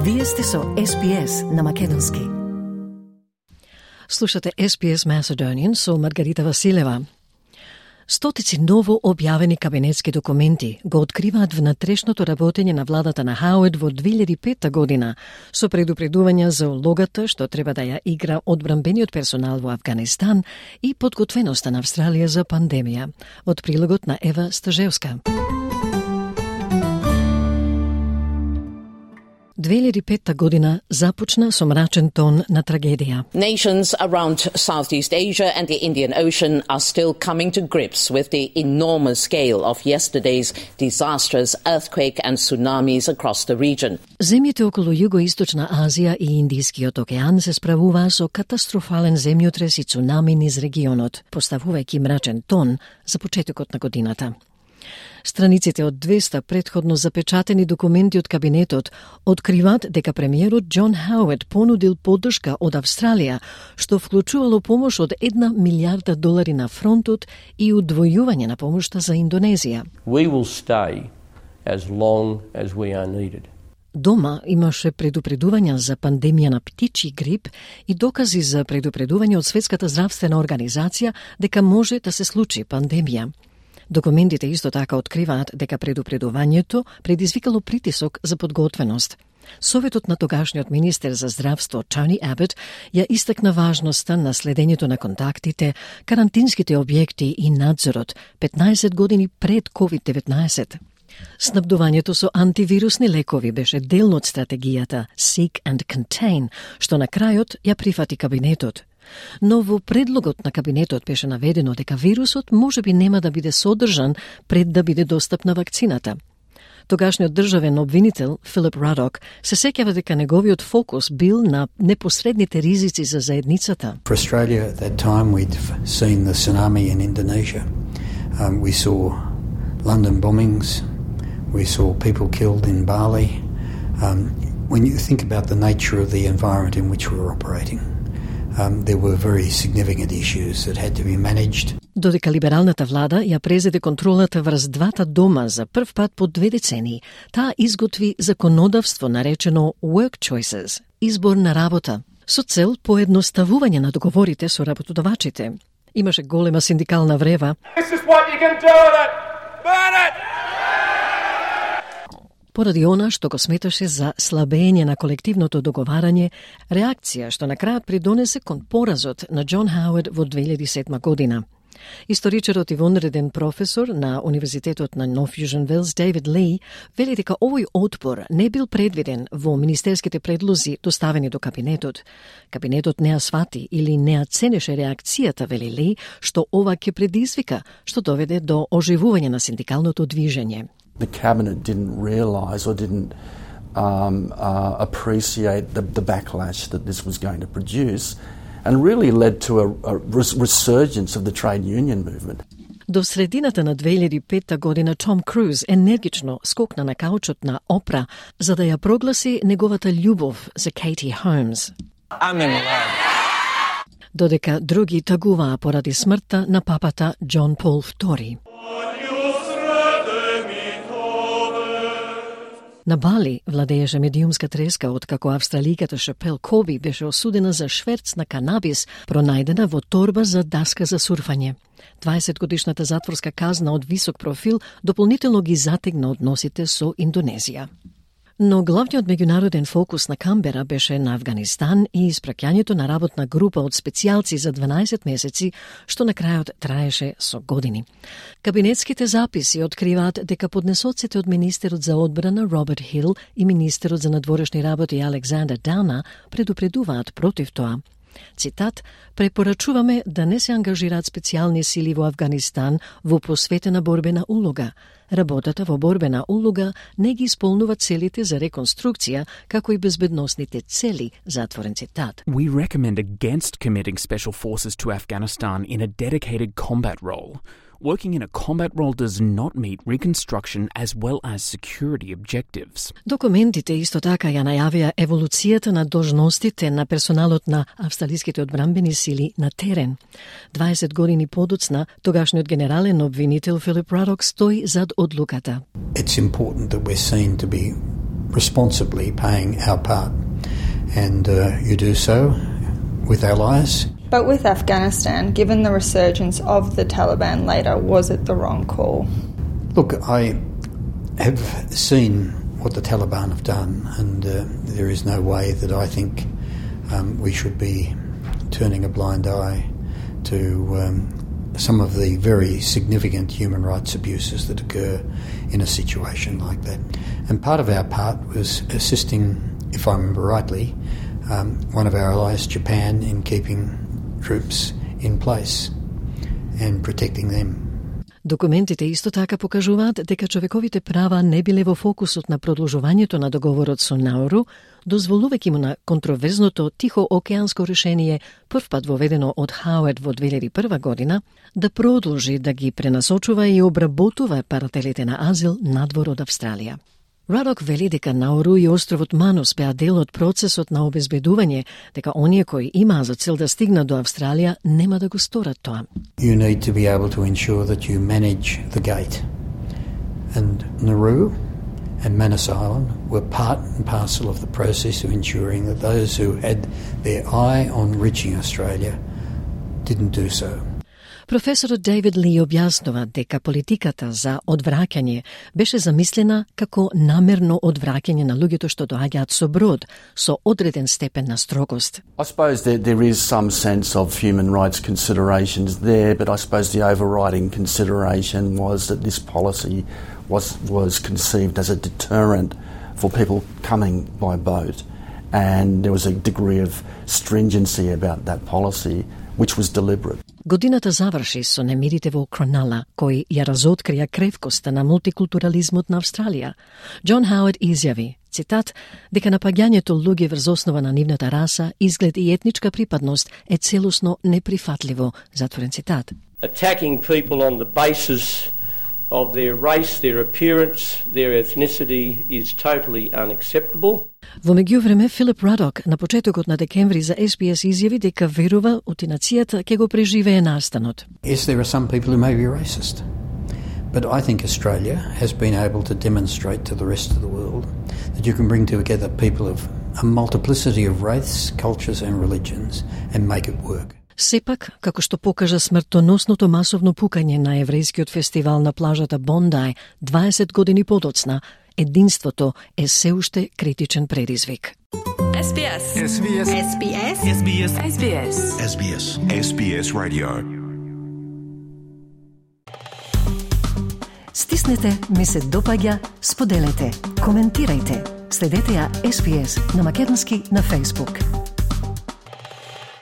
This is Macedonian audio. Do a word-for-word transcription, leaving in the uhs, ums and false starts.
Вие сте со Ес Би Ес на македонски. Слушате Ес Би Ес Macedonian со Маргарита Василева. Стотици ново објавени кабинетски документи го откриваат внатрешното работење на владата на Хауард во две илјади и пета година со предупредувања за улогата што треба да ја игра одбранбениот персонал во Авганистан и подготвеноста на Австралија за пандемија. Од прилогот на Ева Стажевска. две илјади и пета година започна со мрачен тон на трагедија. Nations around Southeast Asia and the Indian Ocean are still coming to grips with the enormous scale of yesterday's disastrous earthquake and tsunamis across the region. Земјите околу Југоисточна Азија и Индискиот океан се справуваа со катастрофален земјотрес и цунами низ регионот, поставувајќи мрачен тон за почетокот на годината. Страниците од двеста претходно запечатени документи од кабинетот откриваат дека премиерот Џон Хауард понудил поддршка од Австралија, што вклучувало помош од една милијарда долари на фронтот и удвојување на помошта за Индонезија. We will stay as long as we are needed. Дома имаше предупредувања за пандемија на птичји грип и докази за предупредување од Светската здравствена организација дека може да се случи пандемија. Документите исто така откриваат дека предупредувањето предизвикало притисок за подготвеност. Советот на тогашниот министер за здравство Тони Абот ја истакна важноста на следењето на контактите, карантинските објекти и надзорот петнаесет години пред ковид деветнаесет. Снабдувањето со антивирусни лекови беше дел од стратегијата Seek and Contain, што на крајот ја прифати кабинетот. Но во предлогот на кабинетот беше наведено дека вирусот може би нема да биде содржан пред да биде достапна вакцината. Тогашниот државен обвинител Филип Радок се сеќава дека неговиот фокус бил на непосредните ризици за заедницата. For Australia at that time we'd seen the tsunami in Indonesia. Um, we saw London bombings. We saw people killed in Bali. Um, when you think about the nature of the environment in which we were operating, Um, there were very significant issues that had to be managed. Додека либералната влада ја презеде контролата врз двата дома за прв пат по две децении, таа изготви законодавство наречено Work Choices, избор на работа, со цел поедноставување на договорите со работодавачите. Имаше голема синдикална врева. This is what you can do with it. Burn it! Поради она што го сметаше за слабење на колективното договарање, реакција што на крајот придонесе кон поразот на Џон Хауард во две илјади и седма година. Историчарот и вонреден професор на Универзитетот на Нов Јужен Велс Дейвид Ли вели дека овој отпор не бил предвиден во министерските предлози доставени до кабинетот. Кабинетот не ја свати или не ја ценеше реакцијата, вели Ли, што ова ќе предизвика, што доведе до оживување на синдикалното движење. The cabinet didn't realise or didn't um, uh, appreciate the, the backlash that this was going to produce, and really led to a, a resurgence of the trade union movement. До средината на две илјади и пета година Том Круз енергично скокна на каучот на Опра за да ја прогласи неговата љубов за Кейти Холмс. I'm in love. Додека други тагуваа поради смртта на папата Џон Пол втори. На Бали владееше медиумска треска откако австраликата Шапел Коби беше осудена за шверц на канабис, пронајдена во торба за даска за сурфање. дваесет годишната затворска казна од висок профил дополнително ги затегна односите со Индонезија. Но главниот меѓународен фокус на Камбера беше на Авганистан и испраќањето на работна група од специјалци за дванаесет месеци, што на крајот траеше со години. Кабинетските записи откриваат дека поднесоците од министерот за одбрана Роберт Хил и министерот за надворешни работи Александер Дауна предупредуваат против тоа. Цитат: "Препорачуваме да не се ангажираат специјални сили во Авганистан во посветена борбена улога. Работата во борбена улога не ги исполнува целите за реконструкција, како и безбедносните цели", затворен цитат. We recommend against committing special forces to Afghanistan in a dedicated combat role. Working in a combat role does not meet reconstruction as well as security objectives. Документите исто така ја најавија еволуцијата на должностите на персоналот на австралиските одбранбени сили на терен. дваесет години подоцна, тогашниот генерален обвинител Филип Радок стои зад одлуката. It's important that we're seen to be responsibly paying our part. And uh, you do so with allies. But with Afghanistan, given the resurgence of the Taliban later, was it the wrong call? Look, I have seen what the Taliban have done, and uh, there is no way that I think um, we should be turning a blind eye to um, some of the very significant human rights abuses that occur in a situation like that. And part of our part was assisting, if I remember rightly, um, one of our allies, Japan, in keeping troops in place and protecting them. Документите исто така покажуваат дека човековите права не биле во фокусот на продолжувањето на договорот со Науру, дозволувајќи му на контроверзното Тихоокеанско решение, првпат воведено од Хауард во две илјади и прва година, да продолжи да ги пренасочува и обработува барателите на азил надвор од Австралија. Радок вели дека Науру и островот Манус беа дел од процесот на обезбедување, дека оние кои имаа за цел да стигнат до Австралија нема да го сторат тоа. You need to be able to ensure that you manage the gate. And Nauru and Manus Island were part and parcel of the process of ensuring that those who had their eye on reaching Australia didn't do so. Професорот Дейвид Ли објаснува дека политиката за одвраќање беше замислена како намерно одвраќање на луѓето што доаѓаат со брод, со одреден степен на строгост. I suppose there, there is some sense of human rights considerations there, but I suppose the overriding consideration was that this policy was, was conceived as a deterrent for people coming by boat, and there was a degree of stringency about that policy, which was deliberate. Годината заврши со немирите во Кронала, кои ја разоткрија кревкоста на мултикултурализмот на Австралија. Џон Хауард изјави, цитат, дека напаѓањето луѓе врз основа на нивната раса, изглед и етничка припадност е целосно неприфатливо, затворен цитат. Attacking people on the basis of their race, their appearance, their ethnicity is totally unacceptable. Во меѓувреме, Филип Радок на почетокот на декември за Ес Би Ес изјави дека верува утинацијата ќе го преживее настанот. Yes, there are some people who may be racist, but I think Australia has been able to demonstrate to the rest of the world that you can bring together people of a multiplicity of race, cultures and religions and make it work. Сепак, како што покажа смртоносното масовно пукање на еврејскиот фестивал на плажата Бондај дваесет години подоцна, единството е се уште критичен предизвик. Ес Би Ес. Ес Би Ес. Ес Би Ес. Ес Би Ес. Ес Би Ес. Ес Би Ес. Ес Би Ес Radio. Стиснете, ми се допаѓа, споделете, коментирајте. Следете ја Ес Би Ес на македонски на Facebook.